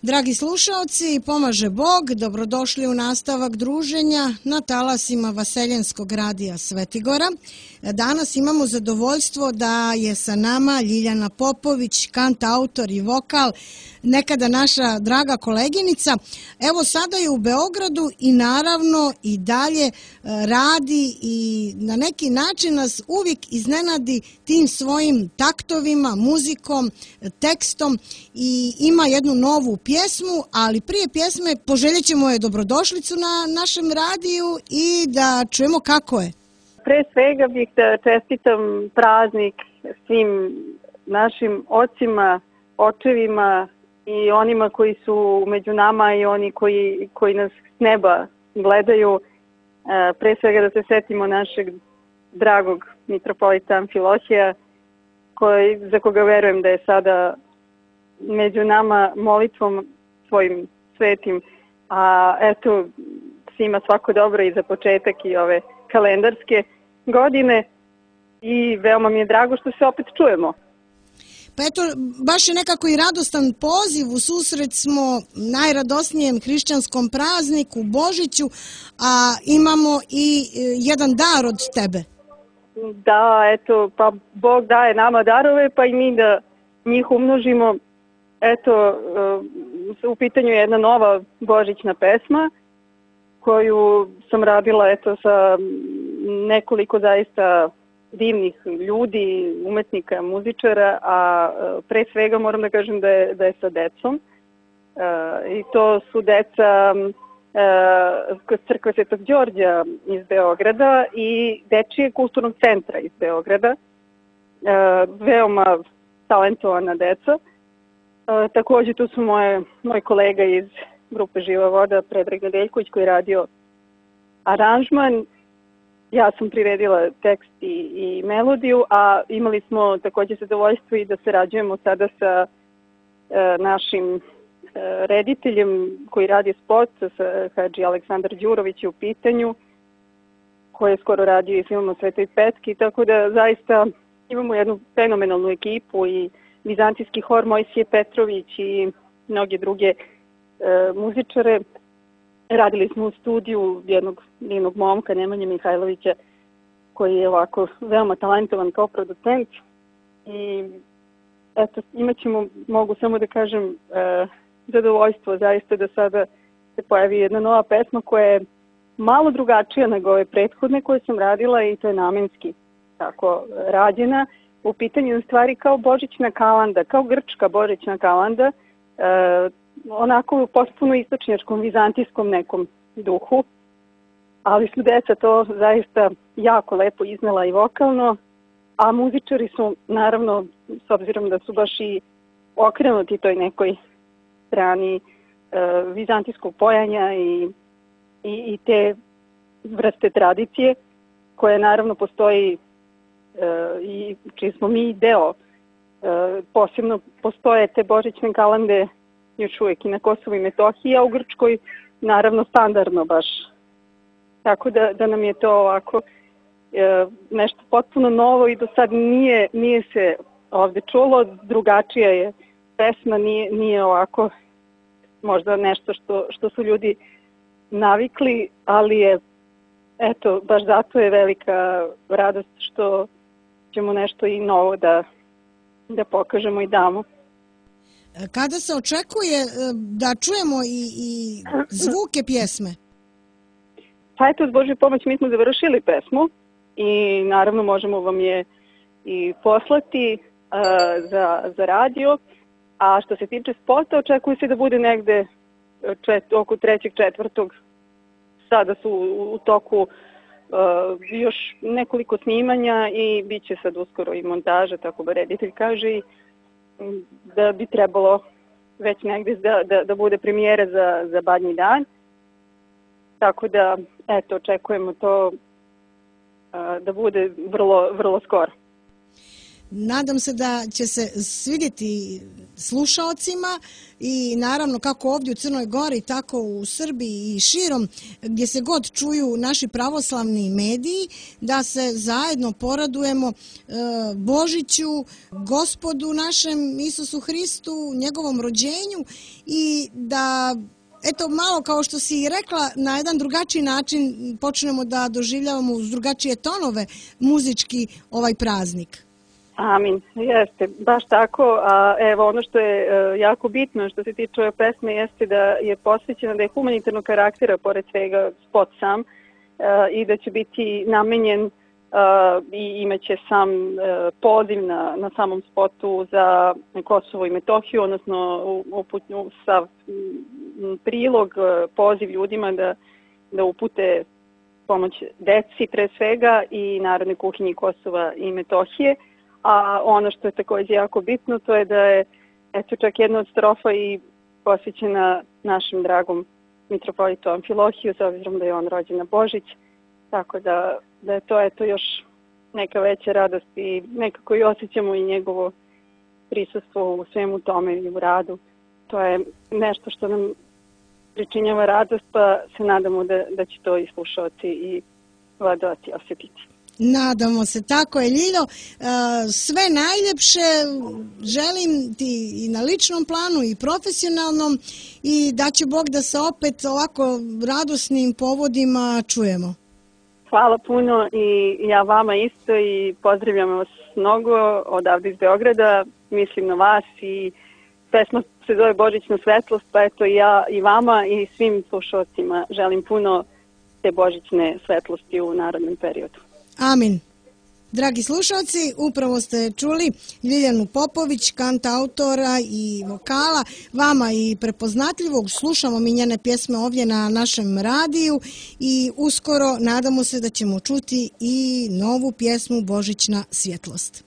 Dragi slušaoci, pomaže Bog, dobrodošli u nastavak druženja na talasima Vaseljenskog radija Svetigora. Danas imamo zadovoljstvo da je sa nama Ljiljana Popović, kantautor i vokal, nekada naša draga koleginica. Evo sada je u Beogradu i naravno i dalje radi i na neki način nas uvijek iznenadi tim svojim taktovima, muzikom, tekstom i ima jednu novu pjesmu, ali prije pjesme poželjet ćemo je dobrodošlicu na našem radiju i da čujemo kako je. Pre svega bih da čestitam praznik svim našim ocima, očevima i onima koji su među nama i oni koji nas s neba gledaju. Pre svega da se setimo našeg dragog mitropolita Amfilohija, za koga verujem da je sada među nama molitvom svojim svetim. A eto, svima svako dobro i za početak i ove kalendarske godine i veoma mi je drago što se opet čujemo. Pa eto, baš je nekako i radostan poziv, u susret smo najradosnijem hrišćanskom prazniku, Božiću, a imamo i jedan dar od tebe. Da, eto, pa Bog daje nama darove, pa i mi da njih umnožimo. Eto, u pitanju je jedna nova božićna pesma koju sam radila sa nekoliko zaista divnih ljudi, umetnika, muzičara, a pre svega moram da kažem da je sa decom. I to su deca crkve Svetog Đorđa iz Beograda i Dečijeg kulturnog centra iz Beograda. Veoma talentovana deca. Također tu su moj kolega iz grupe Živa voda, Predrag Nedeljković, koji je radio aranžman. Ja sam priredila tekst i melodiju, a imali smo također zadovoljstvo i da sarađujemo sada sa našim rediteljem koji radi spot, Hadži Aleksandar Đurović je u pitanju, koji je skoro radio i filmom Svetoj Petki, tako da zaista imamo jednu fenomenalnu ekipu i vizantijski hor Mojsije Petrović i mnoge druge muzičare. Radili smo u studiju jednog divnog momka, Nemanje Mihajlovića, koji je ovako veoma talentovan kao producent. I eto, imat ćemo, mogu samo da kažem, zadovoljstvo zaista da sada se pojavi jedna nova pesma koja je malo drugačija nego ove prethodne koje sam radila i to je namenski tako rađena. U pitanju je stvari kao božićna kalanda, kao grčka božićna kalanda, onako u potpuno istočnjačkom, vizantijskom nekom duhu, ali su deca to zaista jako lepo iznela i vokalno, a muzičari su naravno, s obzirom da su baš i okrenuti toj nekoj strani vizantijskog pojanja i te vrste tradicije, koje naravno postoji i čiji smo mi deo. Posebno postoje te božićne kalande još uvijek i na Kosovu i Metohiji, a u Grčkoj naravno standardno baš. Tako da nam je to ovako nešto potpuno novo i do sad nije se ovde čulo, drugačija je pesma, nije ovako možda nešto što su ljudi navikli, ali je eto, baš zato je velika radost što ćemo nešto i novo da pokažemo i damo. Kada se očekuje da čujemo i zvuke pjesme? Pa eto, s Božjoj pomoć mi smo završili pesmu i naravno možemo vam je i poslati za radio. A što se tiče spota, očekuje se da bude negde oko 3.4. Sada su u toku još nekoliko snimanja i bit će sad uskoro i montaža, tako da reditelj kaže, i da bi trebalo već negdje da bude premijera za Badnji dan. Tako da, eto, očekujemo to da bude vrlo, vrlo skoro. Nadam se da će se svidjeti slušaocima i naravno kako ovdje u Crnoj Gori, tako u Srbiji i širom, gdje se god čuju naši pravoslavni mediji, da se zajedno poradujemo Božiću, Gospodu našem Isusu Hristu, njegovom rođenju i da eto malo kao što si i rekla, na jedan drugačiji način počnemo da doživljavamo uz drugačije tonove muzički ovaj praznik. Amin, jeste, baš tako. A evo ono što je jako bitno što se tiče ove pesme jeste da je posvećena, da je humanitarnog karaktera pored svega spot sam i da će biti namenjen i imaće sam poziv na samom spotu za Kosovo i Metohiju, odnosno sav prilog, poziv ljudima da upute pomoć deci pre svega i Narodnoj kuhinji Kosova i Metohije. A ono što je također jako bitno, to je da je čak jedna od strofa i posvećena našem dragom mitropolitu Amfilohiju, s obzirom da je on rođen na Božić. Tako da je to još neka veća radost i nekako i osjećamo i njegovo prisustvo u svemu tome i u radu. To je nešto što nam pričinjava radost, pa se nadamo da će to i slušaoci i gledaoci osjetiti. Nadamo se, tako je, Ljiljo. Sve najljepše želim ti i na ličnom planu i profesionalnom i da će Bog da se opet ovako radosnim povodima čujemo. Hvala puno i ja vama isto i pozdravljam vas mnogo odavde iz Beograda, mislim na vas i pesma se zove Božićna svetlost, pa eto ja i vama i svim slušalcima želim puno te božićne svetlosti u narednom periodu. Amin. Dragi slušalci, upravo ste čuli Ljiljanu Popović, kantautora i vokala, vama i prepoznatljivog. Slušamo mi njene pjesme ovdje na našem radiju i uskoro nadamo se da ćemo čuti i novu pjesmu Božićna svjetlost.